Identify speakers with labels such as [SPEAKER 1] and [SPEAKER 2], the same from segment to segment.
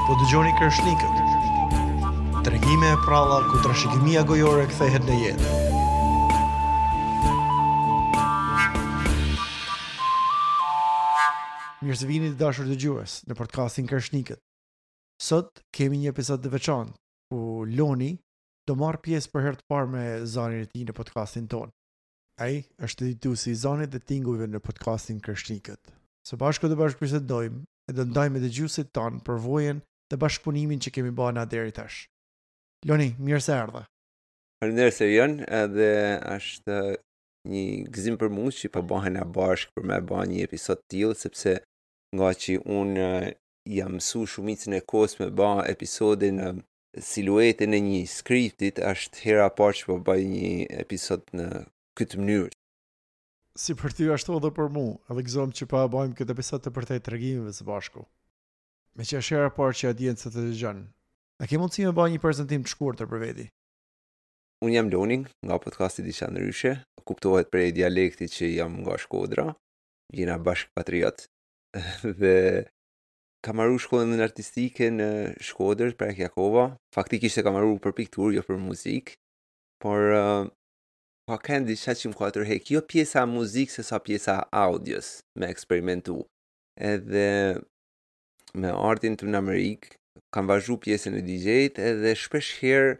[SPEAKER 1] Po dëgjoni Kreshnikët. Tregime e pralla ku trashëgimia gojore kthehet në jetë. Mirë se vini të dashur dëgjues në podcastin Kreshnikët. Sot kemi një episod të veçantë ku Loni do marrë pjesë për herë të parë me zanin e tij në podcastin tonë. Ai është edituesi i zanit dhe tingujve në podcastin Kreshnikët. Së bashku do bashkëbisedojmë e do ndajmë me dëgjuesit tanë përvojën dhe bashkëpunimin që kemi ba na deri tash. Loni, mirë se erdhe.
[SPEAKER 2] Faleminderit Erion, edhe është një gëzim për mu që po bahena bashkë për me ba një episod të tillë sepse ngaqë unë jam mësu shumicën e kohës me ba episodin në siluetën e një skriptit, është hera e parë që po bëj një episod në këtë mënyrë.
[SPEAKER 1] Si për ty ashtu edhe për mu, edhe gëzohem që po e bëjmë këtë episod të përtej tregimeve së bashku. Meqë është hera e parë që audienca të dëgjon, a ke mundësi me ba një prezantim të shkurtër për veti?
[SPEAKER 2] Unë jam Loni, nga podcasti Diçka Ndryshe, kuptohet prej dialektit që jam nga Shkodra, jena bashkëpatriot, dhe kam maru shkollën artistike në Shkodër, Prek Jakova. Faktikisht e kam maru për pikturë, jo për muzikë, por uh, ka kenë diçka që më ka tërhek, jo pjesa e muzikës se sa pjesa e audios me eksperimentu. Edhe me ardhjen në Amerikë, kam vazhdu pjesën e DJ-t edhe shpesh herë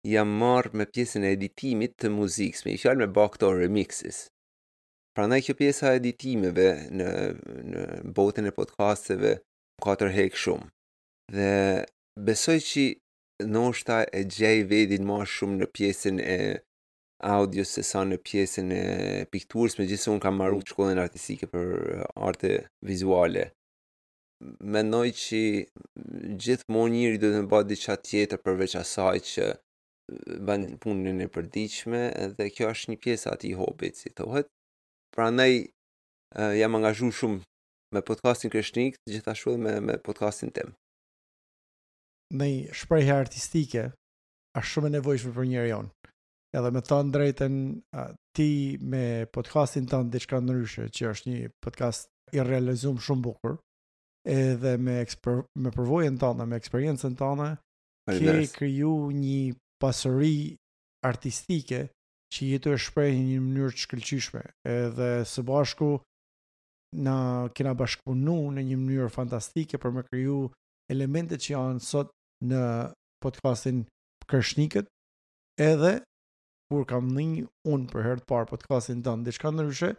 [SPEAKER 2] jam marrë me pjesën e editimit të muzikës, me një fjalë me ba këto remixes. Prandaj kjo pjesa e editimeve në në botën e podcasteve më ka tërhek shumë. Dhe besoj që ndoshta e gjej vedin ma shumë në pjesën e audios se sa në pjesën e pikturës, megjithëse unë kam maru shkollën artistike për arte vizuale. Mendoj që gjithmonë njeri duhet me ba diçka tjetër përveç asaj që bën punën e përditshme dhe kjo është një pjesë e atij hobit, si thohet. Prandaj jam angazhu shumë me podcastin Kreshnik, gjithashtu edhe me me podcastin tim.
[SPEAKER 1] Një shprehje artistike është shumë e nevojshme për njeriun. Edhe me thënë drejtën, ti me podcastin tënd diçka ndryshe, që është një podcast i realizum shumë bukur, edhe me eksper, me përvojën tënde, me eksperiencën tënde, ke kriju një pasuri artistike që je tu e shpreh në një mënyrë të shkëlqyeshme. Edhe së bashku na kena bashkëpunu në një mënyrë fantastike për me kriju elementet që janë sot në podcastin Kreshnikët, edhe kur kam ni unë për herë të parë podcastin tënd diçka ndryshe,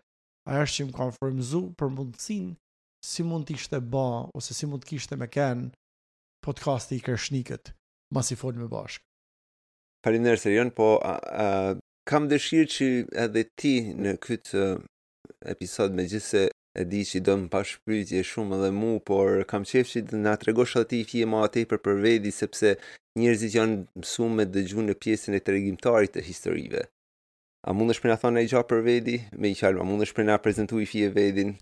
[SPEAKER 1] ajo është që më ka frymëzu për mundësinë si mund të ishte ba ose si mund të kishte me kenë podcasti i Kreshnikët, masi folëm bashkë.
[SPEAKER 2] Faleminderit Erion, po a, a, kam dëshirë që edhe ti në këtë episod megjithëse e di që do më bash pyetje shumë edhe mu, por kam qejf që të na tregosh edhe ti fije ma tepër për vedi, sepse njerëzit janë mësu me dëgju në pjesën e tregimtarit të historive. A mundesh me na thonë naj gja për vedi? Me një fjalë, a mundesh me na prezentu i fije vedin?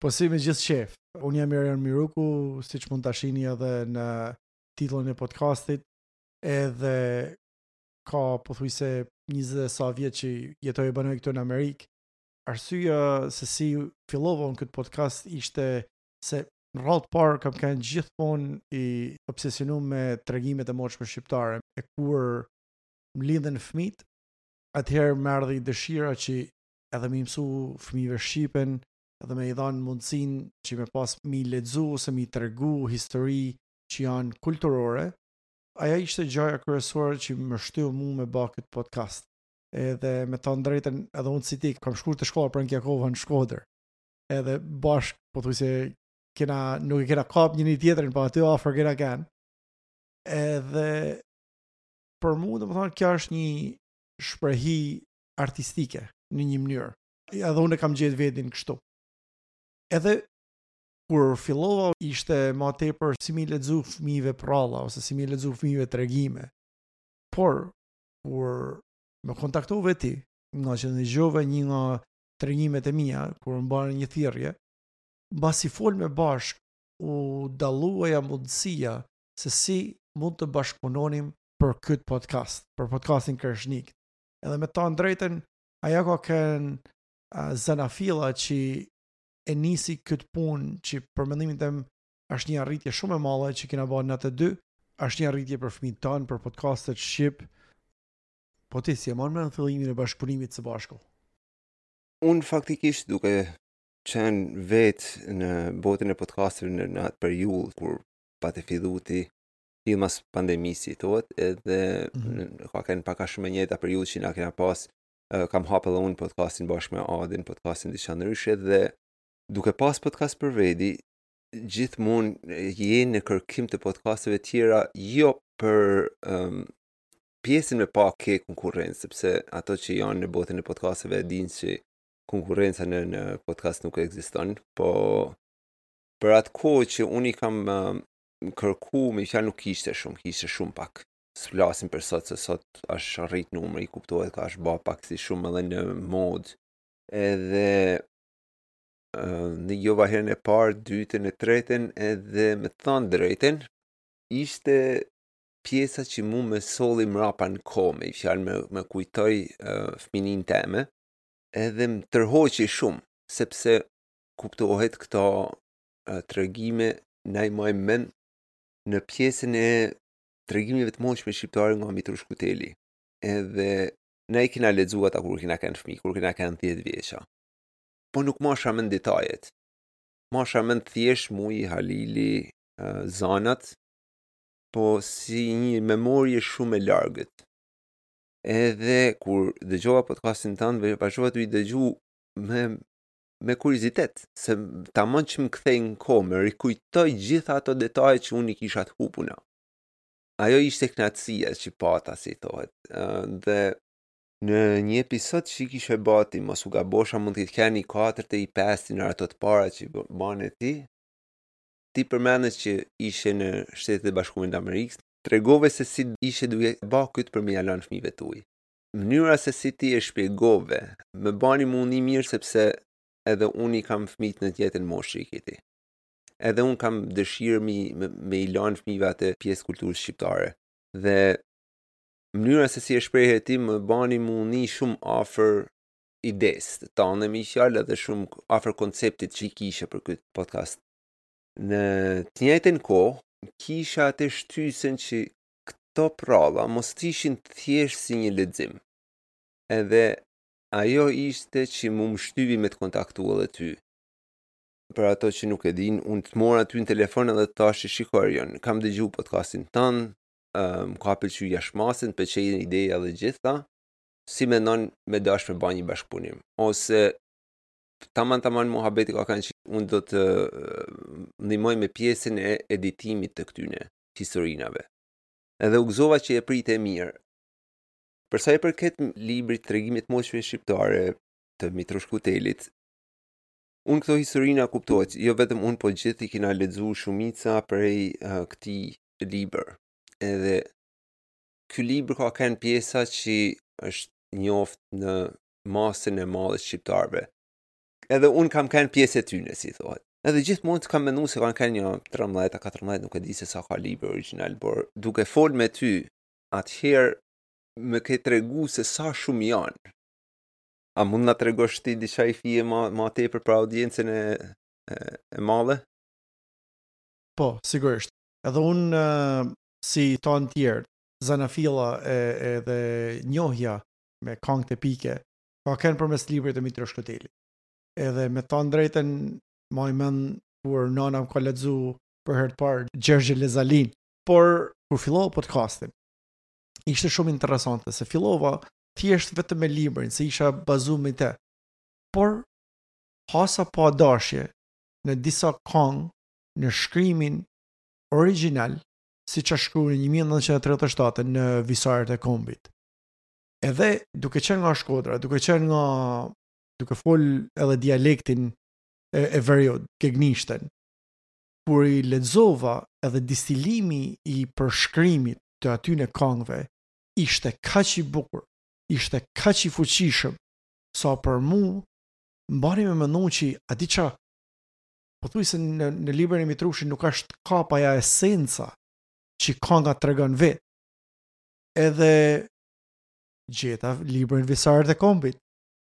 [SPEAKER 1] Po si me gjithë qejf. Unë jam Erion Miruku, siç mund ta shihni edhe në titullin e podcastit, edhe ka pothuajse 20 e sa vjet që jetoj e banoj këtu në Amerikë. Arsyeja se si fillova unë këtë podcast ishte se në radhë të parë kam qenë gjithmonë i obsesionum me tregimet e moçme shqiptare. E kur më lindën fëmijët, atëherë më erdhi dëshira që edhe me i mësu fëmijëve shqipen, edhe me i dhanë mundësinë që me pas mi lexu ose mi tregu histori që janë kulturore, ajo ishte gjaja kryesore që më shtyu mu me ba këtë podcast. Edhe me thanë drejtën, edhe unë si ti, kam shku te shkolla Prenk Jakova në Shkodër. Edhe bashkë, pothuajse kena, nuk e kena kap njëni tjetrin, po aty afër kena kenë. Edhe për mu, domethonë, kjo është një shprehi artistike në një mënyrë. Edhe unë e kam gjetë vedin kështu. Edhe kur fillova ishte ma tepër si mi lexu fëmijëve pralla ose si mi lexu fëmijëve tregime. Por kur më kontaktove ti, ngaqë dëgjove një nga tregimet e mia kur më bane një thirrje, mbasi folme bashkë u dallua ajo mundësia se si mund të bashkëpunonim për këtë podcast, për podcastin Kreshnik. Edhe me thanë drejtën, ajo ka qenë uh, zanafilla që e nisi këtë punë që për mendimin tem. Është një arritje shumë e madhe që kena bërë na të dy, është një arritje për fëmijët tanë, për podcastet shqip. Po ti si e man mend fillimin e bashkëpunimit së
[SPEAKER 2] bashku? Unë faktikisht duke qenë vetë në botën e podcasteve në, në atë periudhë kur pate fillu ti fill mas pandemisë si thohet, edhe mm -hmm. ka qenë pak a shumë e njëjta periudhë që na kena pas, kam hapë edhe unë podcastin bashkë me Adin, podcastin Diçka Ndryshe dhe duke pas podcast për vedi, gjithmonë je në kërkim të podcasteve tjera, jo për um, pjesën me pa ke konkurrencë, sepse ato që janë në botën e podcasteve e dinë që konkurrenca në, në podcast nuk ekziston, po për atë kohë që unë i kam um, kërku, me fjalë nuk kishte shumë, kishte shumë pak. S'flasim për sot, se sot është rrit numri, kuptohet ka është ba pak si shumë edhe në modë. Edhe nijova herën e parë, dytën e tretën, edhe me thanë drejtën, ishte pjesa që mu më solli mrapa në kohë, me fjalë më, më kujtoi uh, fëmininë teme, edhe më tërhoqi shumë, sepse kuptohet këto uh, tregime na i majmë mend në pjesën e tregimeve të moçme shqiptare nga Mitrush Kuteli. Edhe na i kena lexu ata kur kena qenë fëmijë, kur kena qenë 10 vjeça. Po nuk masha mend detajet. Masha mend thjesht Muji, Halili, zanat, po si një memorie shumë e largët. Edhe kur dëgjova podcastin tënd, vazhdova të i dëgju me me kuriozitet, se tamam që më kthej në kohë, më rikujtoi gjitha ato detaje që unë i kisha të hupuna. Ajo ishte kënaqësia që pata, si thohet. Dhe në një episod që i kishe ba ti, mos u gabosha, mund të ketë i katërt e i pesti në ato të para që bane ti, ti përmende që ishe në Shtetet e Bashkuara të Amerikës, tregove se si ishe duke ba këtë për me ia lanë fëmijëve tuaj. Mënyra se si ti e shpjegove, më bani mu ni mirë sepse edhe unë i kam fëmijët në të njëjtën moshë që i ke ti. Edhe unë kam dëshirë me, me, me i lanë fëmijëve atë pjesë kulturës shqiptare. Dhe mënyra se si e shprehe ti më bani mu ni shumë afër idesë tane me fjalë edhe shumë afër konceptit që i kishe për këtë podcast. Në të njëjtën kohë, kisha atë shtysën që këto pralla mos të ishin thjesht si një lexim. Edhe ajo ishte që mu më shtyvi me të kontaktu edhe ty. Për ato që nuk e din, unë të mora ty në telefon edhe të thashë shiko Erion, kam dëgju podcastin tënd, më ka pëlqy jashtë mase, më pëlqejnë ideja dhe gjitha, si mendon me dash me ba një bashkëpunim ose taman taman muhabeti ka kanë që unë do të ndihmoj me pjesën e editimit të këtyne historinave. Edhe u gëzova që e prite mirë. Për sa i përket librit Tregime të Moçme Shqiptare të Mitrush Kutelit, unë këto historina kuptohet, jo vetëm unë, po gjithë i kena lexu shumica prej uh, këtij libër. Edhe ky libër ka qenë pjesa që është njoft në masën e madhe shqiptarëve. Edhe unë kam qenë pjesë e tyne, si thohet. Edhe gjithmonë të kam mendu se kanë qenë një 13 a 14, nuk e di se sa ka libër origjinal, por duke fol me ty, atëherë më ke tregu se sa shumë janë. A mund na tregosh ti diçka i fije ma, ma tepër për audiencën e, e, e madhe?
[SPEAKER 1] Po, sigurisht. Edhe unë si tanë tjerë, zanafilla e, edhe njohja me kangët epike, ka qenë përmes librit të Mitrush Kutelit. Edhe me thanë drejtën, maj mend kur nana më ka lexu për herë të parë Gjergj Elez Alinë. Por kur fillova podcastin, ishte shumë interesante se fillova thjesht vetëm me librin, se isha bazu me te. Por hasa pa dashje në disa kangë në shkrimin origjinal siç është shkruar në 1937 në Visaret e Kombit. Edhe duke qenë nga Shkodra, duke qenë nga duke fol edhe dialektin e, e veriut, gegnishten, kur i lexova edhe distilimi i përshkrimit të atyne kangëve ishte kaq i bukur, ishte kaq i fuqishëm, sa për mu m'bani me menu që a di qa, pothuajse në, në librin e Mitrushit nuk është kap aja esenca që kanga tregon vetë. Edhe gjeta librin Visaret e Kombit.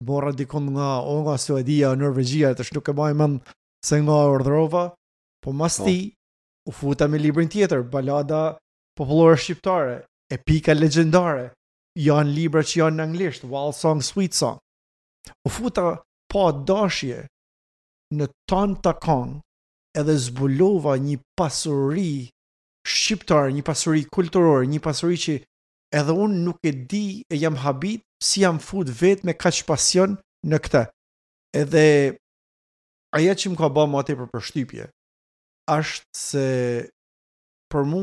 [SPEAKER 1] Morra dikund nga o nga Suedia, Norvegjia, tash nuk e maj mend se nga urdhërova, po mas po. ti. U futa me librin tjetër, Balada popullore shqiptare, epika legjendare, janë libra që janë në anglisht, Wild Song, Sweet Song. U futa pa dashje në tanë këta kangë edhe zbulova një pasuri shqiptare, një pasuri kulturore, një pasuri që edhe unë nuk e di e jam habit si jam fut vetë me kaq pasion në këtë. Edhe ajo që më ka ba ma tepër përshtypje, është se për mu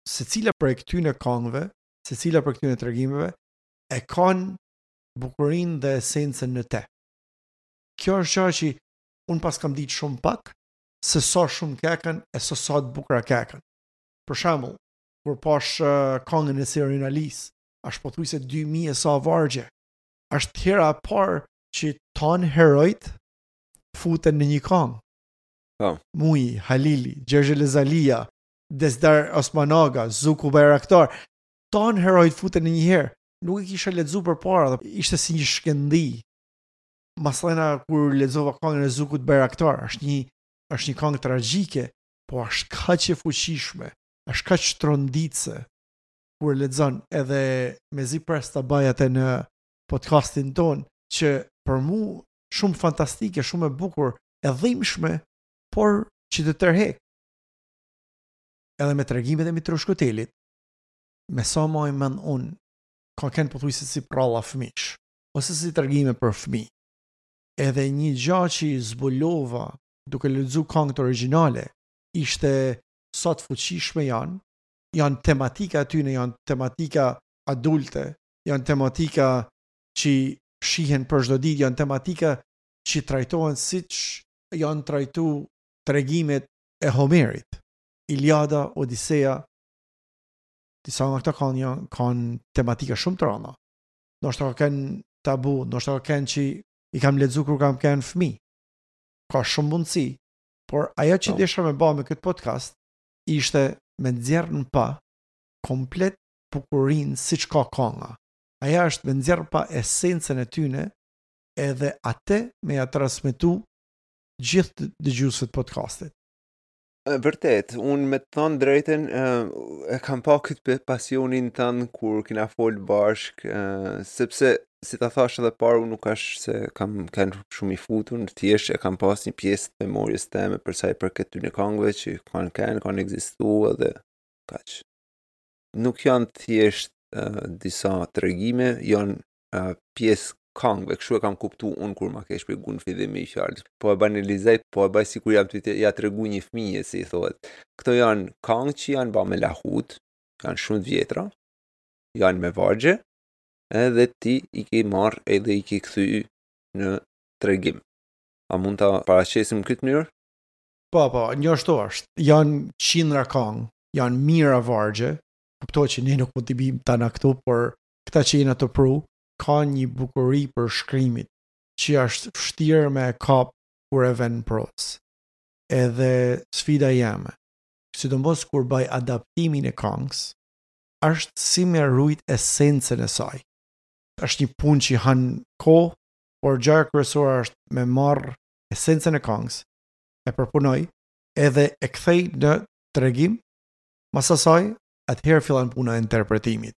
[SPEAKER 1] secila prej këtyne kangëve, secila prej këtyne tregimeve e kanë bukurinë dhe esencën në te. Kjo është gjë që unë pas kam ditë shumë pak se sa shumë keken e se sa të bukura keken. Për shembull, kur pash uh, kangën e Serin Alisë, është pothuajse 2000 e sa vargje. Është hera e parë që tanë herojt futen në një kangë.
[SPEAKER 2] Po.
[SPEAKER 1] Muji, Halili, Gjergj Elez Alia, Dezdar Osmanaga, Zuku Bajraktar, tanë herojt futen në një herë. Nuk e kisha lexu përpara, dhe ishte si një shkëndi. Masanej kur lexova kangën e Zukut Bajraktar, është një është një kangë tragjike, po është kaq e fuqishme, është kaq tronditëse kur e lexon edhe mezi pres ta baj atë në podcastin tonë që për mu shumë fantastike, shumë e bukur, e dhimbshme, por që të tërhek. Edhe me tregimet e Mitrush Kutelit, me sa maj mend unë, ka kenë pothuajse si pralla fëmish, ose si tregime për fëmijë. Edhe një gja që zbulova duke lexu kangët origjinale, ishte sa të fuqishme janë, janë tematika atyne, janë tematika adulte, janë tematika që shihen për çdo ditë, janë tematika që trajtohen siç janë trajtu tregimet e Homerit. Iliada, Odisea, disa nga këta kanë janë kanë tematika shumë të rënda. Ndoshta ka qenë tabu, ndoshta ka qenë që i kam lexu kur kam qenë fëmijë. Ka shumë mundësi, por ajo që po. desha me ba me këtë podcast ishte me nxjerr në pah komplet bukurinë siç ka kanga. Ajo është me nxjerr në pah esencën e tyne edhe atë me ja transmetu gjithë dëgjuesve të
[SPEAKER 2] podcastit. Vërtet, unë me të thonë drejtën, e kam pa këtë pasionin tënd kur kena fol bashk, sepse si ta thash edhe parë, unë nuk ashtë se kam kenë shumë i futun, thjesht e kam pas një pjesë të memorjes teme për sa i përket këtyne kangëve që kanë kenë, kanë ekzistu edhe kaq. Nuk janë thjesht uh, disa tregime, janë uh, pjesë kangëve, kështu e kam kuptu unë kur ma ke shpjegu në fillim me fjalë. Po e banalizoj, po e baj sikur jam tu ja tregu një fëmije, si i thohet. Këto janë kangë që janë ba me lahut, janë shumë të vjetra, janë me vargje, edhe ti i ke marrë edhe i ke kthy në tregim. A mund ta paraqesim në këtë mënyrë?
[SPEAKER 1] Po, po, njashtu është. Janë qindra kangë, janë mijëra vargje, kuptohet që ne nuk mund t'i bijmë tana këtu, por këta që jena tu pru, ka një bukuri përshkrimit, që është vështirë me e kap kur e ven në prozë. Edhe sfida jeme, sidomos kur baj adaptimin e kangës, është si me rujt esencën e saj. Është një punë që han kohë, por gjëja kryesore është me marr esencën e kangës, e përpunoj, edhe e kthej në tregim, mas asaj, atëherë fillon puna e interpretimit.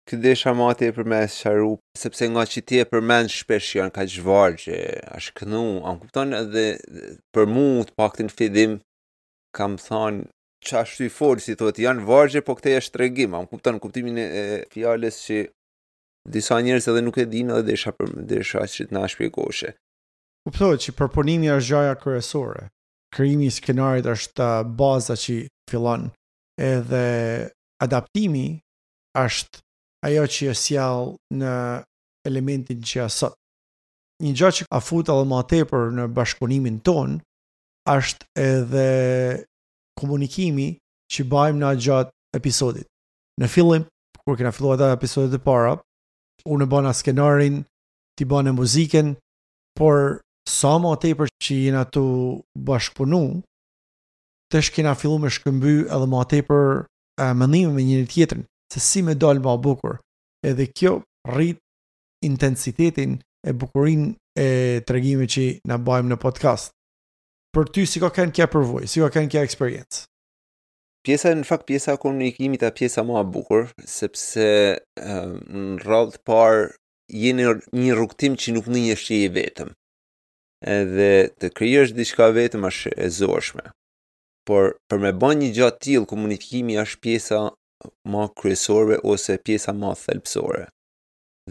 [SPEAKER 2] Këtë desha ma tepër me e sqaru, sepse nga që ti e përmend shpesh janë kaq vargje, ashtë kënu, a më kupton edhe për mu të paktën fillim kam thanë që ashtu i folë, si thotë, janë vargje, po këte është tregim, a më kupton kuptimin e, e fjalës që disa njerëz edhe nuk e dinë edhe desha për desha që të na shpjegoshe.
[SPEAKER 1] Kuptohet që përpunimi është gjaja kryesore. Krijimi i skenarit është baza që fillon edhe adaptimi është ajo që e sjell në elementin që është sot. Një gjë që a fut edhe ma tepër në bashkëpunimin tonë është edhe komunikimi që bajmë na gjatë episodit. Në fillim, kur kena filluar ata episodet e para, unë e bana skenarin, ti bane muzikën, por sa ma tepër që jena tu bashkëpunu, tash kena fillu me shkëmby edhe ma tepër mendime me njëri tjetrin, se si me dalë ma bukur. Edhe kjo rrit intensitetin e bukurinë e tregimit që na bajmë në podcast. Për ty si ka qenë kjo përvojë, si ka qenë kjo eksperiencë?
[SPEAKER 2] Pjesa në fakt pjesa e komunikimit a pjesa më e bukur, sepse në radhë të parë je në një rrugëtim që nuk ndihesh që je vetëm. Edhe të krijosh diçka vetëm është e zorshme. Por për me bën një gjë të tillë komunikimi është pjesa më kryesore ose pjesa më thelbësore.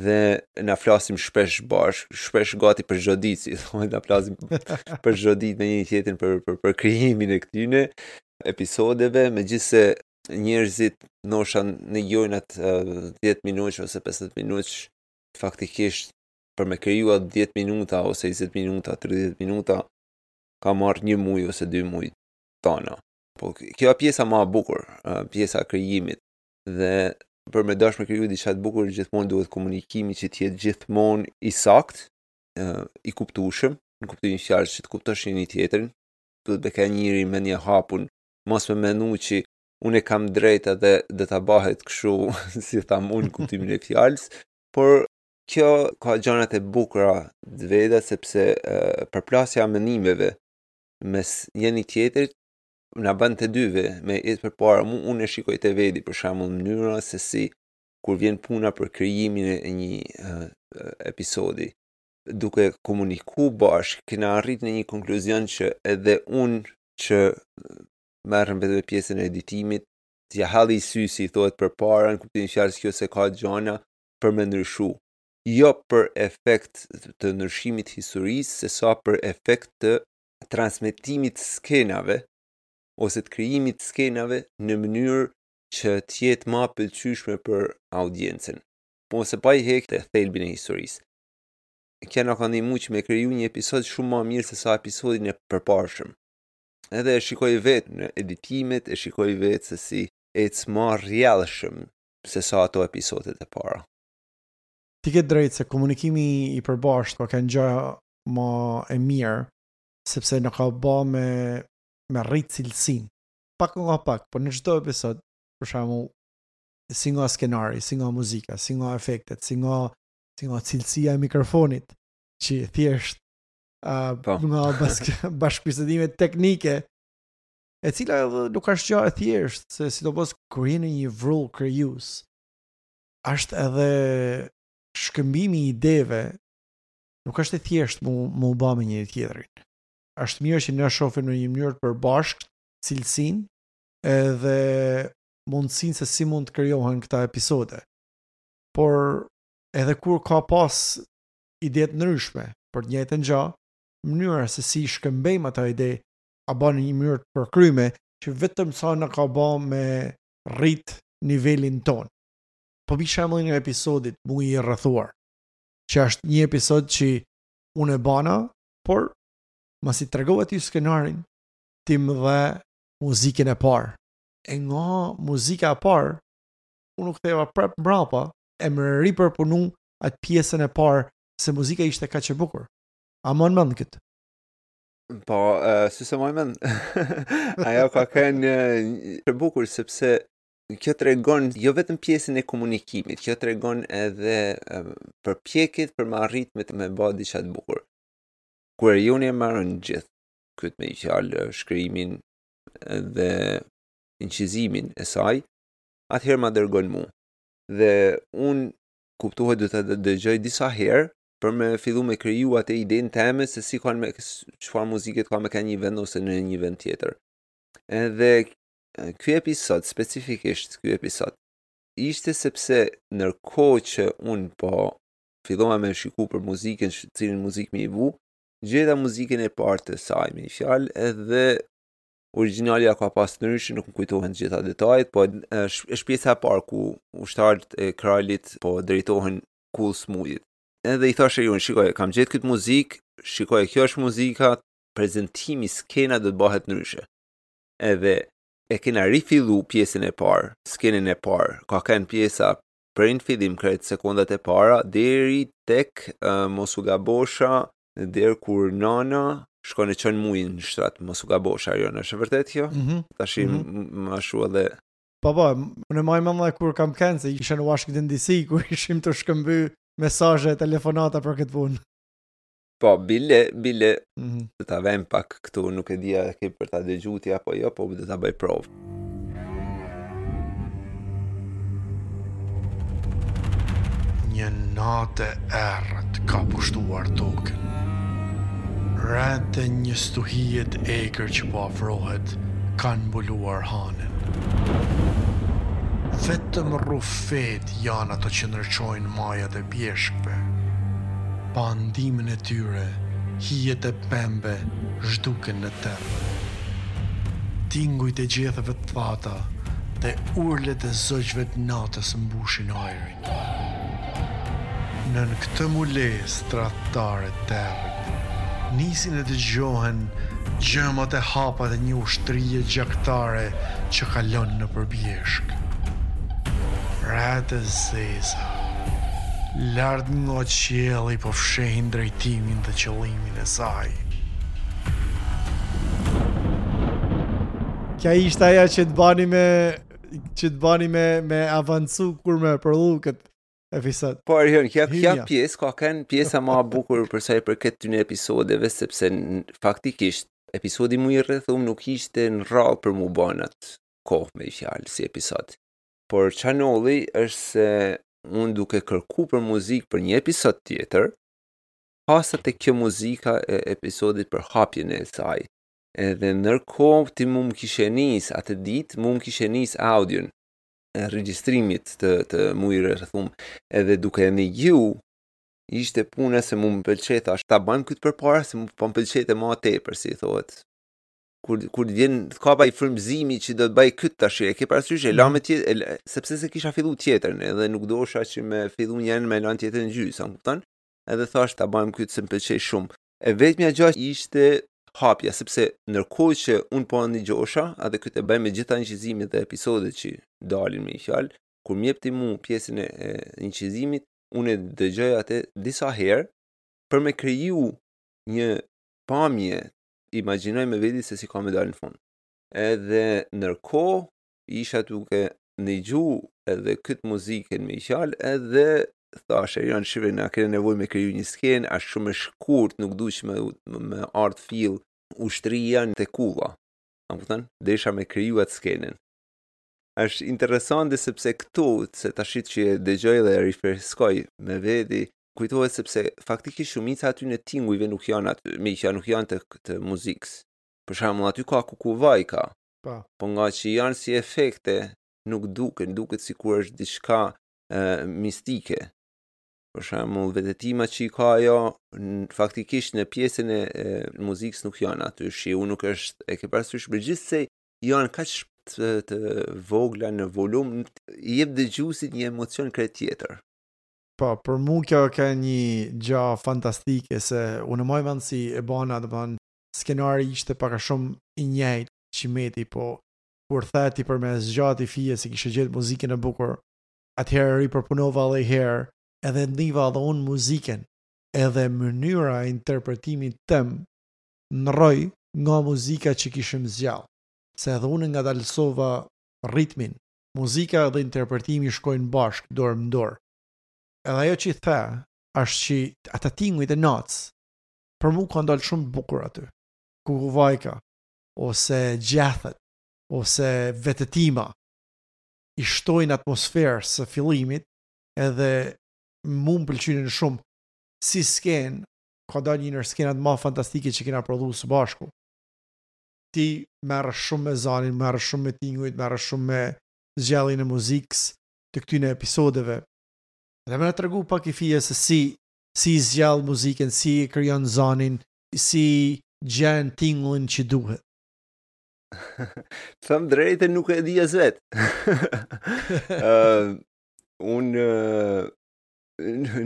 [SPEAKER 2] Dhe na flasim shpesh bashk, shpesh gati për çdo ditë, si thonë, na flasim për çdo ditë me njëri tjetrin për për për krijimin e këtyne episodeve, megjithëse njerëzit ndoshta dëgjojnë atë 10 minutë ose 15 minutë faktikisht për me kriju atë 10 minuta ose 20 minuta, 30 minuta ka marrë një muj ose dy muj tana. Po kjo është pjesa më e bukur, pjesa e krijimit dhe për me dash me kriju diçka të bukur gjithmonë duhet komunikimi që të jetë gjithmonë i saktë, i kuptueshëm, në kuptimin fjalës që të kuptosh njëri tjetrin, duhet me kenë njëri mendje hapun, mos me menu që unë e kam drejt edhe do ta bahet kështu si tham unë kuptimin e fjalës, por kjo ka gjanat e bukura të veta sepse përplasja e menimeve mes njëri tjetrit na bën të dyve me ecë përpara. Mu unë e shikoj te veti për shembull mënyra se si kur vjen puna për krijimin e një uh, episodi duke komuniku bashkë kena arrit në një konkluzion që edhe unë që merrem vetëm me pjesën e editimit t'ja hedhi sy si i thohet përpara në kuptimin fjalës kjo se ka gjana për me ndryshu jo për efekt të ndryshimit historisë, se sa për efekt të transmetimit skenave ose të krijimit skenave në mënyrë që të jetë ma pëlqyeshme për audiencën. Po se pa i hek të thelbin e historisë. Kjo na ka ndihmu që me kriju një episod shumë ma mirë se sa episodin e përparshëm. Edhe e shikoj vetë në editimet, e shikoj vetë se si ecë ma rrjedhshëm se sa ato episodet e para.
[SPEAKER 1] Ti ke drejtë se komunikimi i përbashkët ka qenë gjë ma e mirë, sepse na ka ba me me rrit cilësinë. Pak nga pak, po në çdo episod, për shembull, si nga skenari, si nga muzika, si nga efektet, si nga si nga cilësia e mikrofonit, që thjesht uh, po. nga bask, bashkëbisedimet teknike, e cila edhe nuk është gjë e thjeshtë, se sidomos kur je në një vrull krijues, është edhe shkëmbimi i ideve nuk është e thjeshtë mu, mu ba me njëri tjetrin. Është mirë që ne shohim në një mënyrë të përbashkët cilësinë edhe mundësinë se si mund të krijohen këta episode. Por edhe kur ka pas ide të ndryshme për të njëjtën gjë, mënyra se si shkëmbejmë ato ide a ba në një mënyrë të përkryme që vetëm sa na ka ba me rrit nivelin ton. Po bi shembullin e episodit Muji i rrethuar, që është një episod që unë e bana, por masi tregova ty skenarin, ti më dhe muzikën e parë. E nga muzika e parë, unë u ktheva prap mbrapa e më ripërpunu atë pjesën e parë se muzika ishte kaq e bukur. A mban mend këtë?
[SPEAKER 2] Po, uh, si s'e maj mend. Ajo ka qenë e bukur sepse kjo tregon jo vetëm pjesën e komunikimit, kjo tregon edhe uh, përpjekjet për me arrit me me bë diçka të bukur. Kur Erioni e merr gjithë këtë me një fjalë shkrimin dhe incizimin e saj, atëherë ma dërgon mu. Dhe unë kuptohet do të dëgjoj disa herë për me fillu me kriju atë idenë teme se si kanë me çfarë muzike ka me kanë një vend ose në një vend tjetër. Edhe ky episod specifikisht ky episod ishte sepse ndërkohë që unë po fillova me shiku për muzikën, cilën muzikë me i vu, gjeta muzikën e parë të saj me një fjalë edhe origjinalja ka pas ndryshe, nuk më kujtohen të gjitha detajet, po është është pjesa e parë ku ushtarët e kralit po drejtohen kullës Mujit. Edhe i thashë unë, shikoj, kam gjetë këtë muzikë, shikoj, kjo është muzika, prezentimi, skena do të bëhet ndryshe. Edhe e kena rifillu pjesën e parë, skenën e parë, ka qenë pjesa prej në fillim krejt sekondat e para deri tek uh, mos u gabosha deri kur nana shkon e çon Mujin në shtrat, mos u gabosha Arion, është e vërtet kjo?
[SPEAKER 1] Mm -hmm.
[SPEAKER 2] Tash mm -hmm. më ashtu edhe
[SPEAKER 1] Po po, unë maj mend edhe kur kam qenë se isha në Washington DC kur ishim tu shkëmby mesazhe, telefonata për këtë punë.
[SPEAKER 2] Po, bile, bile, mm -hmm. do ta vëm pak këtu, nuk e di a ke për ta dëgju ti apo jo, po do ta bëj provë.
[SPEAKER 1] Një natë e errët ka pushtuar tokën. Retë e një stuhie të egër që po afrohet kanë mbuluar hanën. Vetëm rrufetë janë ato që ndriçojnë majat e bjeshkëve. Pa ndihmën e tyre, hijet e pemëve zhduken në terr. Tingujt e gjetheve të thata dhe urlet e zogjve të natës mbushin ajrin. Nën këtë mbulesë tradhtare të territ, nisin e dëgjohen gjëmat e hapat e një ushtrie gjaktare që kalon nëpër bjeshkë. Retë e zeza, lart nga qielli po fshehin drejtimin dhe qëllimin e saj. Kja ishte aja që të bani me që të bani me me avancu kur me prodhu këtë episod.
[SPEAKER 2] Po Arjon, kjo kjo pjesë ka qenë pjesa më e bukur për sa i përket këtyne episodeve sepse faktikisht episodi Muj i Rrethum nuk ishte në radhë për mu ba n'atë kohë me fjalë si episod. Por ça ndodhi është se unë duke kërku për muzikë për një episod tjetër, hasa te kjo muzika e episodit për hapjen e saj. Edhe ndërkohë ti mu më kishe nis atë ditë, mu më kishe nis audion e regjistrimit të të Mujit Rrethum. Edhe duke e nigju ishte puna se mu më pëlqej thash ta bëjmë këtë përpara se mu po më pëlqejte ma tepër si i thohet. Kur kur të vjen të kap ai frymëzimi që do të bëj këtë tash e ke parasysh e lamë tjetër sepse se kisha fillu tjetërën edhe nuk dosha që me fillu njërën me lanë tjetrën gjysë, a më kupton? Edhe thash ta bëjmë këtë se më pëlqej shumë. E vetmja gjë ishte hapja, sepse ndërkohë që unë po ndigjosha, edhe këtë e bëj me gjitha incizimet dhe episodet që dalin me një fjalë, kur më jep ti mu pjesën e, e incizimit, unë e dëgjoj atë disa herë për me kriju një pamje, imagjinoj me veti se si ka me dalë në fund. Edhe ndërkohë isha duke nigju edhe këtë muzikën me fjalë edhe thash Erion shife na kena nevojë me kriju një skenë, është shumë e shkurt, nuk du që me, me ardhë fill ushtria te kulla. A më kupton? Desha me kriju atë skenën. Është interesante sepse këtu, se tashit që e dëgjoj dhe e rifreskoj me veti, kujtohet sepse faktikisht shumica aty në tingujve nuk janë aty, me që nuk janë të, të muzikës. Për shembull, aty ka kukuvajka,
[SPEAKER 1] Po.
[SPEAKER 2] Po nga që janë si efekte, nuk duken, duket sikur është diçka e, mistike. Për shembull, vetëtima që i ka ajo, faktikisht në pjesën e, e muzikës nuk janë aty, shiu nuk është, e ke parasysh, megjithëse janë kaq të, të vogla në volum, i jep dëgjuesit një emocion krejt tjetër.
[SPEAKER 1] Po, për mu kjo ka një gja fantastike, se unë maj mend si e bana, domethënë, skenari ishte pak a shumë i njëjtë që meti, po kur the ti për me zgjati fije se kishe gjetë muzikën e bukur, atëherë ripërpunova edhe herë, edhe ndiva edhe unë muzikën, edhe mënyra e interpretimit tem ndrroi nga muzika që kishim zgjidh, se edhe unë ngadalësova ritmin. Muzika dhe interpretimi shkojnë bashkë, dorë më dorë. Edhe ajo që i the, është që ata tingujt e natës, për mu kanë dalë shumë bukur aty. Kukuvajka, ose gjethet, ose vetëtima, i shtojnë atmosferës së fillimit edhe mu më pëlqynin shumë si skenë, ka dalë një ndër skenat ma fantastike që kena prodhu së bashku. Ti merresh shumë me zanin, merresh shumë me tingujt, merresh shumë me zgjedhjen e muzikës të këtyne episodeve. Dhe me na tregu pak i fije se si si zgjedh muzikën, si e krijon zanin, si gjen tingullin që duhet.
[SPEAKER 2] Të them drejtën nuk e di as vet. uh, unë uh,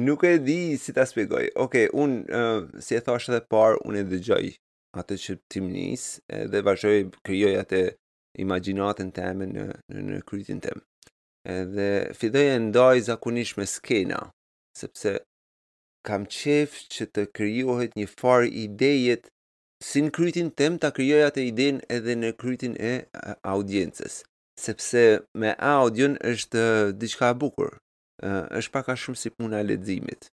[SPEAKER 2] nuk e di si ta shpjegoj. Okej, okay, unë uh, si e thash edhe parë, unë e dëgjoj atë që ti më nis edhe vazhdoj krijoj atë imagjinatën teme në në, në krytin tim. Edhe filloj e ndaj zakonisht me skena, sepse kam qef që të krijohet një farë ideje si në krytin tim ta krijoj atë idenë edhe në krytin e audiencës sepse me audion është diçka e bukur. Është pak a shumë si puna e leximit.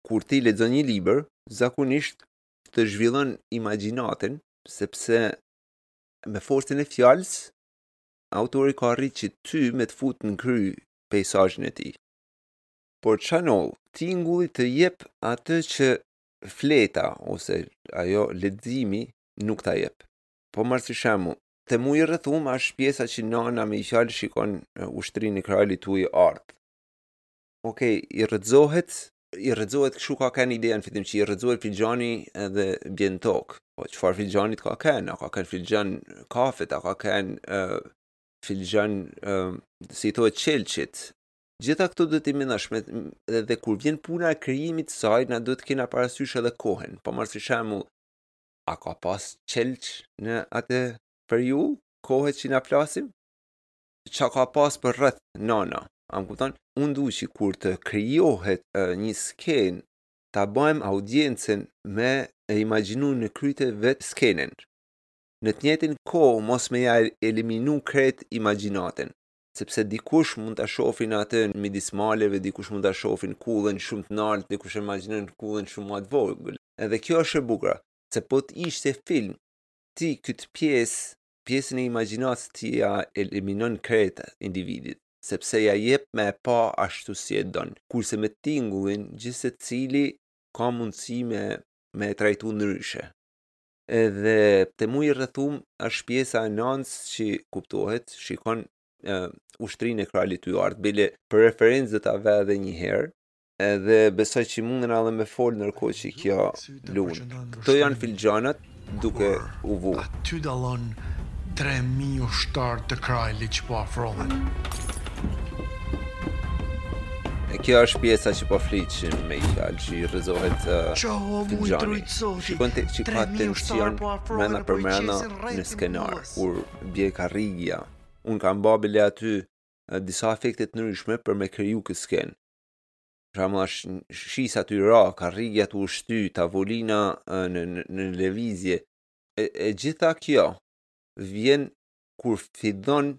[SPEAKER 2] Kur ti lexon një libër, zakonisht të zhvillon imagjinatën, sepse me forcën e fjalës, autori ka arrit që ty me të fut në kry peisazhin e tij. Por ça ndodh, tingulli të jep atë që fleta ose ajo leximi nuk ta jep. Po marr si shembull, te Muji i rrethum është pjesa që nana me një fjalë shikon ushtrinë e kralit tuj ardh. Okej, i rrëzohet, i rrëzohet kështu ka qenë ideja në fillim që i rrëzohet filxhani edhe bjen në tokë. Po çfarë filxhanit ka qenë? A ka qenë filxhan kafet, a ka qenë uh, filxhan uh, si i thohet qelqit. Gjitha këto duhet t'i mendosh me dhe, dhe kur vjen puna e krijimit të saj, na duhet të kena parasysh edhe kohën. Po marr si shembull, a ka pas qelq në atë periudhë, kohe që na flasim? Qa ka pas për rreth nana? A më kupton? Unë du që kur të krijohet një skenë, ta bëjmë audiencën me e imagjinu në kryte vetë skenën. Në të njëjtën kohë mos me ja eliminu krejt imagjinatën, sepse dikush mund ta shohin atë midis maleve, dikush mund ta shohin kullën shumë të lartë, dikush e imagjinon kullën shumë më të vogël. Edhe kjo është e bukura, se po të ishte film, ti këtë pjesë, pjesën e imagjinatës ti ja eliminon krejt individit, sepse ja jep me e pa ashtu si e don. Kurse me tingullin, gjithsecili ka mundësi me, me e trajtu ndryshe. Edhe te Muji i rrethum është pjesa e nanës që kuptohet, shikon uh, ushtrinë e kralit tuj ardhë. Bile për referencë do ta vë edhe një herë, edhe besoj që mundën edhe me fol ndërkohë që kjo lun. Këto janë filxhanat duke u
[SPEAKER 1] vu. Aty dallon 3000 ushtarë të kralit që po afrohen.
[SPEAKER 2] E kjo është pjesa që po fliqim me i fjalë që i rrëzohet uh, filxhani. Shikon te që ka tension po mrena për po mrena në skenar, kur bje karrigia. Unë kam ba bile aty uh, disa efekte të ndryshme për me kriju këtë skenë. Për shembull është shisa aty ra, karrigia tu u shty, tavolina në, në, në lëvizje. E, e gjitha kjo vjen kur fillon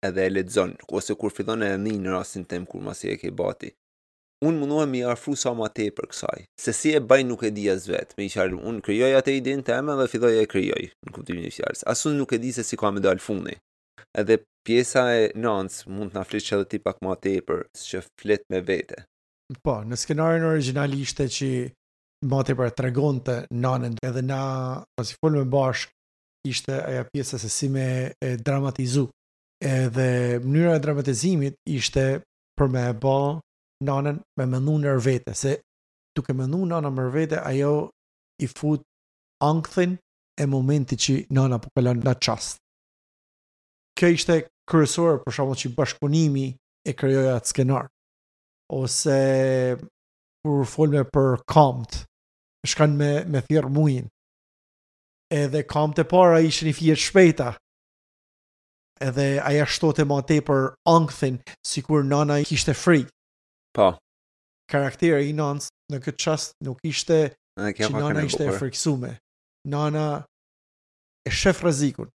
[SPEAKER 2] edhe e lexon, ose kur fillon e nin në rastin tem kur masi e ke ba ti. Unë mundohem me i afru sa ma tepër kësaj. Se si e baj nuk e di as vetë. Me i qarë, unë krijoj atë idenë teme dhe filloj e krijoj, në kuptimin e fjalës. As unë nuk e di se si ka me dalë fundi. Edhe pjesa e nanës mund të na flish edhe ti pak ma tepër, që flet me vete.
[SPEAKER 1] Po, në skenarin origjinal ishte që ma tepër e tregonte nanën edhe na pasi folëm bashkë ishte ajo pjesa se si me e dramatizu. Edhe mënyra e dramatizimit ishte për me e ba nanën me mendu nër vete, se duke mendu nana nër vete, ajo i fut ankthin e momentit që nana po kalon në çast. Kjo ishte kryesore për shembull që bashkëpunimi e krijoi atë skenar. Ose kur folme për kamt, shkon me me thirr mujin. Edhe kamt e para ishin i fije të shpejta. Edhe aja shtote ma tepër ankthin, sikur nana kishte frikë.
[SPEAKER 2] Po.
[SPEAKER 1] Karakteri i nanës në këtë çast nuk ishte që nana ishte e friksume. Nana e shef rrezikun,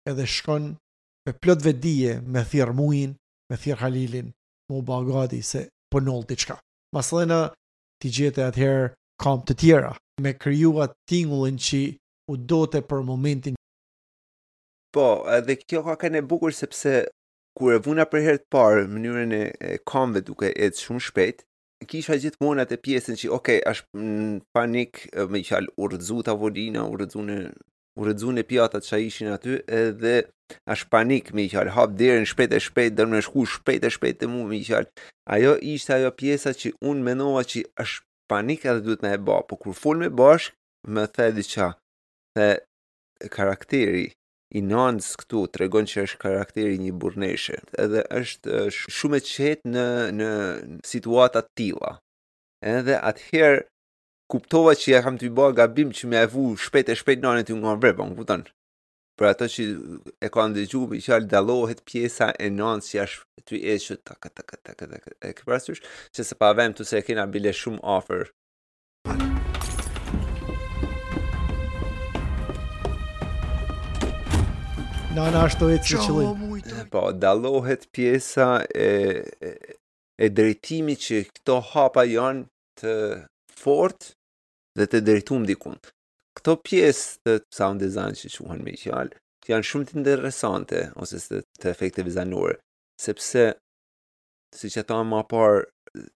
[SPEAKER 1] edhe shkon me plot vetëdije me thirr Mujin, me thirr Halilin, me u ba gati se po ndodh diçka. Masandejna ti gjete atëherë kamë të tjera, me kriju atë tingullin që u dote për momentin.
[SPEAKER 2] Po, edhe kjo ka qenë e bukur sepse kur e vuna për herë të parë mënyrën e, e kamëve duke ecë shumë shpejt, kisha gjithmonë atë pjesën që ok, është në panik, me fjalë u rrëzu tavolina, u rrëzu në u rrëzu në pjatat që ishin aty edhe është panik me fjalë hap derën shpejt e shpejt do me shku shpejt e shpejt te mu me fjalë ajo ishte ajo pjesa që unë mendova që është panik edhe duhet me e ba po kur folme bashk më the diçka the karakteri i nanës këtu tregon që është karakteri i një burrneshe edhe është shumë e qetë në në situata të tilla edhe atëherë kuptova që ja kam tu ba gabim që me e vu shpejt e shpejt nanën tu nga vrap, më kupton? Për ato që e kanë dëgju, me fjalë dallohet pjesa e nanës që është tu ecë tak tak tak tak e ke parasysh që se pa vem tu se e kena bile shumë afër.
[SPEAKER 1] Nana është tu ecë në qëllim.
[SPEAKER 2] Po, dallohet pjesa e, e, e drejtimit që këto hapa janë të. fort dhe të drejtum dikun. Këto pjesë të sound design që quhen me fjalë, janë shumë të interesante ose të, të efekteve zanore, sepse siç e thamë ma parë,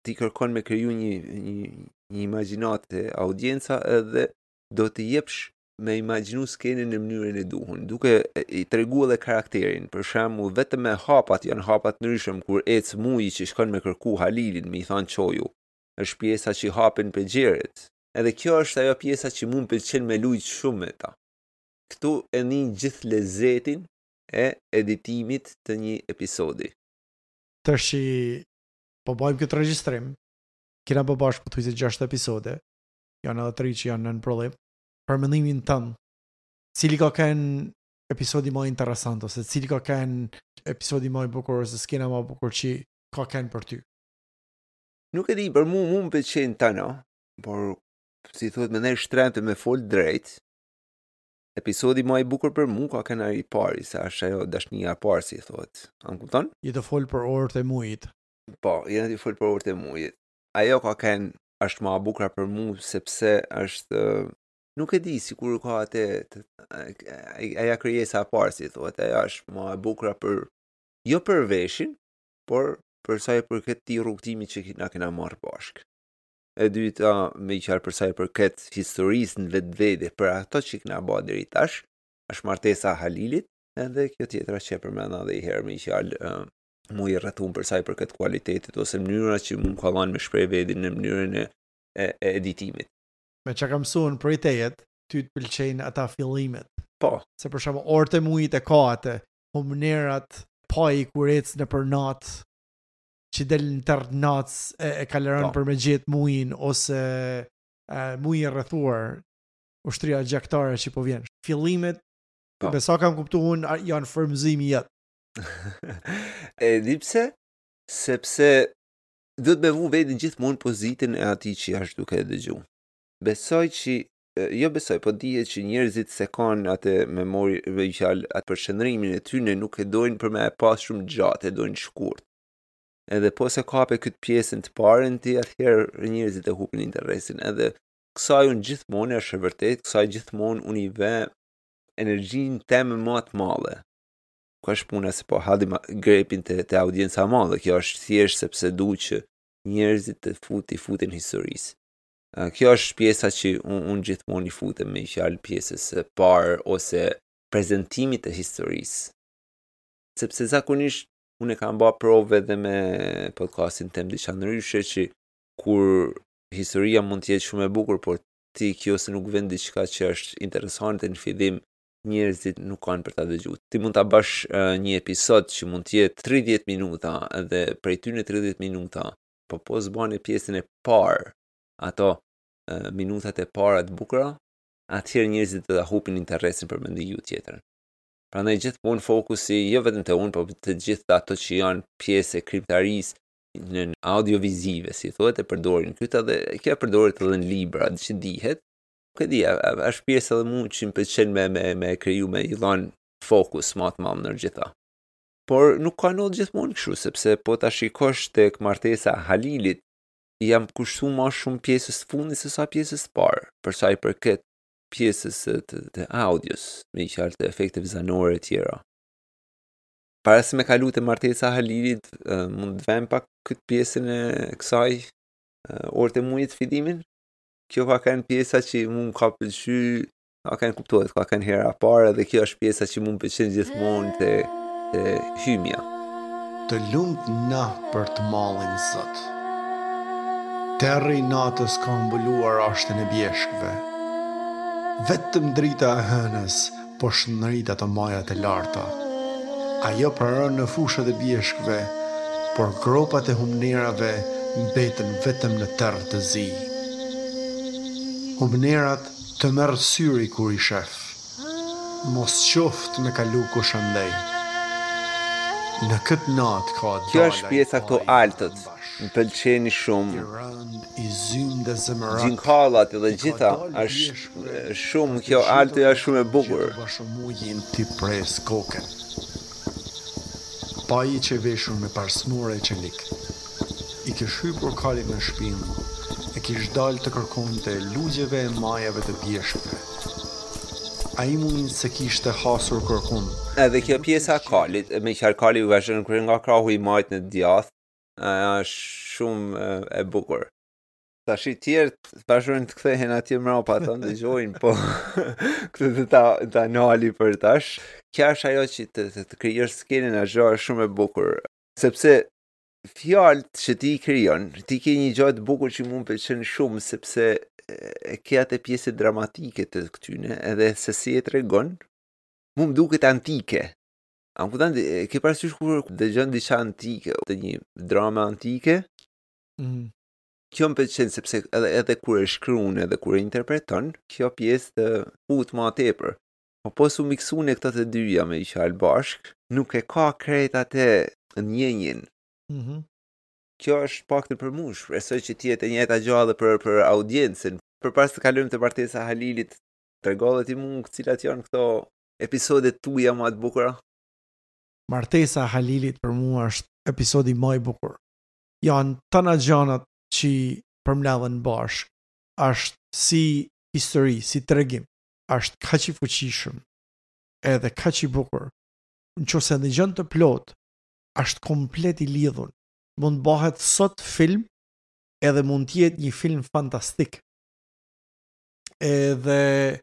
[SPEAKER 2] ti kërkon me kriju një, një, një imagjinatë te audienca edhe do të jepsh me imagjinu skenën në mënyrën e duhun, duke i tregu edhe karakterin. Për shembull, vetëm me hapat janë hapat ndryshëm kur ec Muji që shkon me kërku Halilin, me i thanë çoju. Është pjesa që hapen penxheret. Edhe kjo është ajo pjesa që mu më pëlqen me lujt shumë me ta. Këtu e nin gjithë lezetin e editimit të një episodi.
[SPEAKER 1] Tash që po bëjmë këtë regjistrim, kena bë bashkë pothuajse 6 episode, janë edhe tri që janë në prodhim. Për mendimin tënd, cili ka qenë episodi më interesant ose cili ka qenë episodi më i bukur ose skena më e bukur që ka qenë për ty?
[SPEAKER 2] Nuk e di, për mu, mu më pëlqejnë tana, por si thuhet me ndejt shtremtë me fol drejt, episodi më i bukur për mu ka qenë ai i pari, se është ajo dashnia e parë, si thuhet. A më kupton?
[SPEAKER 1] Je tu fol për orët e mujit.
[SPEAKER 2] Po, jena tu fol për orët e mujit. Ajo ka qenë është ma e bukura për mu sepse është nuk e di sikur ka atë aja krijesa e parë si thuhet, ajo është ma e bukura për jo për veshin, por për sa i përket këtij rrugëtimi që na kena marrë bashkë. E dyta, me qarë për sa i përket historisë në vetvete, për ato që kena ba deri tash, është martesa e Halilit, edhe kjo tjetra që e përmenda edhe i herë me fjalë uh, mu i rrethun për sa i përket kualitetit ose mënyra që mu ka dhanë me shpreh vedin në mënyrën e, e, e editimit.
[SPEAKER 1] Me çka kam mësuar prej teje, ty të pëlqejnë ata fillimet.
[SPEAKER 2] Po.
[SPEAKER 1] Se për shembull orët e mujit e ka atë, humnerat, Paji kur ec nëpër natë, që del në terr natës e, e kalëron po. për me gjetë mujin ose e, muji i rrethuar, ushtria gjaktare që po vjen. Fillimet, po. me sa kam kuptu unë, janë frymëzimi jot.
[SPEAKER 2] e di pse? Sepse duhet me vu veten gjithmonë në pozitën e atij që është duke e dëgju. Besoj që jo besoj, po dihet që njerëzit se kanë atë memori, me fjalë, atë përqendrimin e tyre nuk e dojnë për me e pas shumë gjatë, e dojnë shkurt. Edhe po se kape këtë pjesën të parën ti, atëherë njerëzit e hupin interesin. Edhe kësaj unë gjithmonë është e vërtet, kësaj gjithmonë unë i ve energjinë teme më të madhe. Ku është puna se po hedhim grepin te, te audienca e madhe, kjo është thjesht sepse du që njerëzit të fut, i futen historisë. Kjo është pjesa që unë un gjithmonë i futem me fjalë pjesës së parë ose prezentimit të historisë. Sepse zakonisht unë e kam ba provë edhe me podcastin tem diçka ndryshe që kur historia mund të jetë shumë e bukur, por ti kjo se nuk vën diçka që është interesante në fillim, njerëzit nuk kanë për ta dëgju. Ti mund ta bësh uh, një episod që mund të jetë 30 minuta dhe prej tyne 30 minuta po po s'bane pjesën e parë, ato minutat e para të bukura, atëherë njerëzit do ta hupin interesin për me ndëgju tjetrën. Prandaj gjithmonë fokusi jo vetëm te unë, po të gjithë ato që janë pjesë e krijimtarisë në audiovizive, si thuhet, e përdorin këtë dhe kjo e përdoret edhe në libra, që dihet. Nuk e di, është pjesë edhe mua që më pëlqen me me me kriju me i dhon fokus më të madh në gjitha. Por nuk ka ndodhur gjithmonë kështu, sepse po ta shikosh tek martesa e Halilit, i jam kushtu ma shumë pjesës të fundit se sa pjesës të parë, për sa i përket pjesës të, të, të audios, me i fjalë të efekteve zanore e tjera. Para se me kalu te martesa e Halilit, mund të vem pak këtë pjesën e kësaj orët e mujit fillimin. Kjo ka qenë pjesa që mu më ka pëlqy Ka qenë kuptohet, ka qenë hera e parë dhe kjo është pjesa që mu më pëlqen gjithmonë te, te hymja.
[SPEAKER 1] Të lumt na për të mallin Zot. Terri i natës ka mbuluar ashtin e bjeshkëve. Vetëm drita e hënës po shndrit ato majat e larta. Ajo praron në fushat e bjeshkëve, por gropat e humnerave mbetën vetëm në terr të zi. Humnerat Të merr syri kur i shef. Mos qoftë me kalu kush andej. Në këtë natë ka
[SPEAKER 2] Kjo dalë është pjesa këto altët, më pëlqejnë shumë.
[SPEAKER 1] I rëndë, i zymtë e zemërak.
[SPEAKER 2] Gjinkallat edhe gjitha, është shumë kjo altoja është shumë e bukur.
[SPEAKER 1] Gjetur mujin t'i presë kokën. Paji qe veshur me parsmore e çelik. I kish hypur kalit në shpinë. e kish dalë të kërkonte lugjeve e majave të bjeshkëve. Ai mujin s'e kishte hasur kërkund.
[SPEAKER 2] Edhe kjo pjesa e kalit, me qarë kali vazhdon kur nga krahu i majtë në djathtë, është shumë e bukur. Tashi tjerët vazhdojnë të kthehen atje mrapa ta ndëgjojnë, po këtë do ta ta nali për tash. Kjo është ajo që të, të, të krijosh skenën e gjë është shumë e bukur, sepse fjalët që ti i krijon, ti ke një gjë të bukur që mu më pëlqen shumë sepse e ke atë pjesë dramatike të këtyne, edhe se si e tregon, mu më duket antike. A më kupton, e ke parasysh kur dëgjon diçka antike, të një drama antike? Mm. Kjo më pëlqen sepse edhe edhe kur e shkruan edhe kur e interpreton, kjo pjesë të fut më tepër. Po po s'u miksune këto të dyja me fjalë bashk, nuk e ka krejt atë ndjenjën. Mm -hmm. Kjo është paktën për mua, shpresoj që të jetë e njëjta gjë edhe për për audiencën. Përpara se të kalojmë te martesa e Halilit, trego edhe ti mua cilat janë këto episodet tuaja më të bukura.
[SPEAKER 1] Martesa e Halilit për mua është episodi më i bukur. Janë tana gjanat që përmledhen bashkë. Është si histori, si tregim. Është kaq i fuqishëm edhe kaq i bukur. Në qoftë se ndëgjon të plot, është komplet i lidhun. Mund të bëhet sot film edhe mund të jetë një film fantastik. Edhe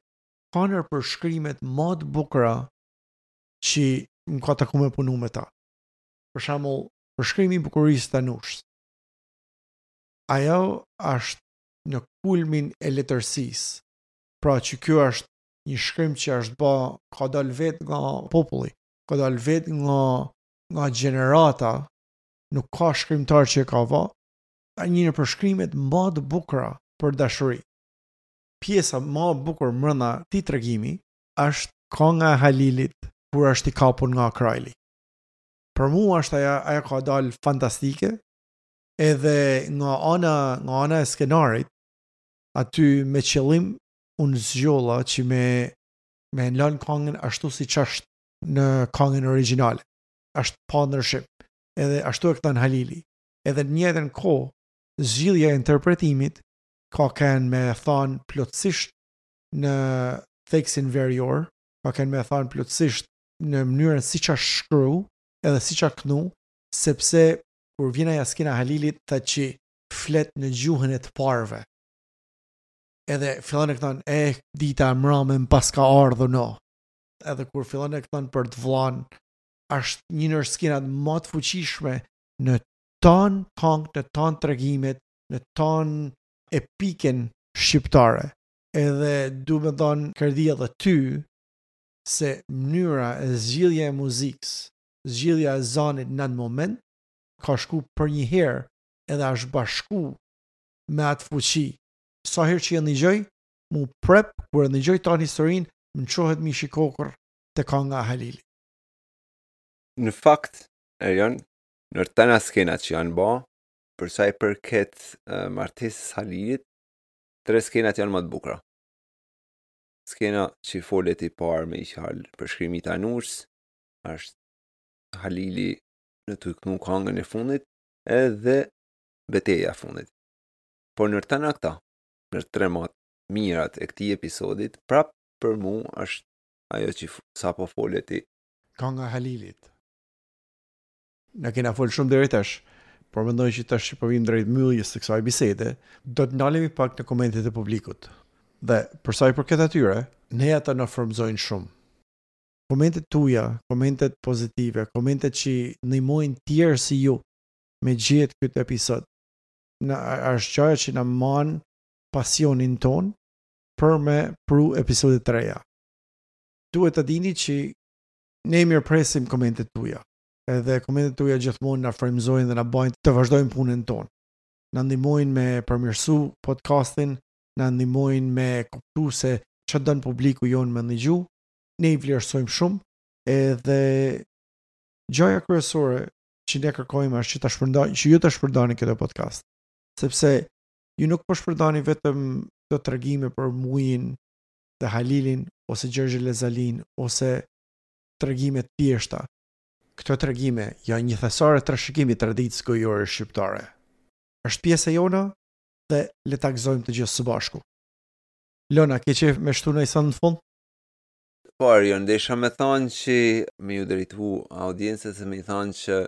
[SPEAKER 1] ka ndër përshkrimet më të bukura që më ka taku me punu me ta. Për shembull, përshkrimi i bukurisë të Tanushës. Ajo është në kulmin e letërsisë. Pra që kjo është një shkrim që është ba, ka dalë vetë nga populli, ka dalë vetë nga, nga gjenerata, nuk ka shkrimtar që e ka ba, një në përshkrimet më të bukura për dashuri. Pjesa më e bukur mbrenda këtij tregimi është kanga e Halilit kur është i kapur nga Krajli. Për mua është ajo ajo ka dalë fantastike edhe nga ana nga ana e skenarit aty me qëllim unë zgjolla që me me lënë kangën ashtu siç është në kangën origjinale. Është pa ndryshim. Edhe ashtu e këndon Halili. Edhe në njëjtën kohë, zgjidhja e interpretimit ka qenë me thanë plotësisht në theksin verior, ka qenë me thanë plotësisht në mënyrën siç është shkru, edhe siç është knu, sepse kur vjen ajo skena Halilit tha që flet në gjuhën e të parëve. Edhe fillon e këndon, e dita e mrame më paska ardhur no. Edhe kur fillon e këndon për të vllan, është një ndër skenat më të fuqishme në tan kangët, në tan tregimet, në tan epikën shqiptare. Edhe du me dhanë kredi edhe ty, se mënyra e zgjidhja e muzikës, zgjidhja e zanit në atë moment, ka shku përnjëherë edhe është bashku me atë fuqi. Sa herë që e ndëgjoj, mu prep, kur e ndëgjoj tanë historinë, më çohet mishi kokërr te kanga e Halilit.
[SPEAKER 2] Në fakt, Erion, në tana skenat që janë ba, për sa i përket uh, martesës Halilit, tre skenat janë më të bukura. Skena që i folet i parë me i qalë përshkrimi i Tanushës, është Halili në tu knu kangën e fundit, edhe beteja e fundit. Por nër tana këta, nër tre ma të mirat e këtij episodit, prap për mu është ajo që sapo fole ti.
[SPEAKER 1] Kanga e Halilit. Na kena fol shumë deri tash, por mendoj që tash që po vim drejt mbylljes së kësaj bisede, do të ndalemi pak në komentet e publikut. Dhe për sa i përket atyre, ne ata na frymëzojnë shumë. Komentet tuaja, komentet pozitive, komentet që ndihmojnë tjerë si ju me gjetë këtë episod. Na është gjëja që na man pasionin ton për me pru episode të reja. Duhet ta dini që ne mirëpresim komentet tuaja. Edhe komentet tuaja gjithmonë na frymëzojnë dhe na bëjnë të vazhdojmë punën tonë. Na ndihmojnë me përmirësu podcastin, na ndihmojnë me kuptu se çfarë don publiku jonë me ndëgju. Ne i vlerësojmë shumë edhe gjëja kryesore që ne kërkojmë është që ta shpërndani, që ju ta shpërndani këtë podcast. Sepse ju nuk po shpërndani vetëm këto tregime për Mujin dhe Halilin ose Gjergj Elez Alinë ose tregime të thjeshta. Këto tregime janë një thesar e trashëgimi i traditës gojore shqiptare. Është pjesë e jona? dhe le ta gëzojmë të gjithë së bashku. Lona, ke qejf me shtu naj sen në fund?
[SPEAKER 2] Po, Arion, desha me thonë që me ju drejtu audiencës e me i thonë që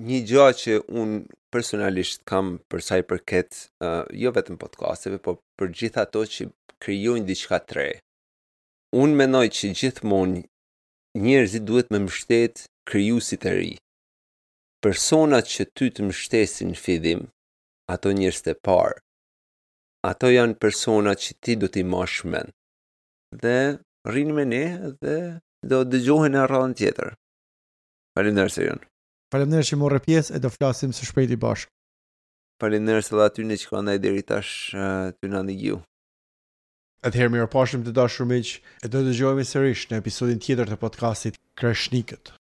[SPEAKER 2] një gja që unë personalisht kam për sa i përket uh, jo vetëm podcasteve, po për gjithë ato që krijojnë diçka të re. Unë mendoj që gjithmonë njerëzit duhet me mbështet krijuesit e ri. Personat që ty të mbështesin në fillim, ato njerëz të parë, ato janë persona që ti do t'i mash mend. Dhe rrini me ne dhe do dëgjohemi në radhën tjetër. Faleminderit Erion.
[SPEAKER 1] Faleminderit që morre pjesë e do flasim së shpejti bashkë.
[SPEAKER 2] Faleminderit edhe atyne që kanë deri tash tu na ndëgju.
[SPEAKER 1] Atëherë mirupafshim të dashur miq, e do dëgjohemi sërish në episodin tjetër të podcastit Kreshnikët.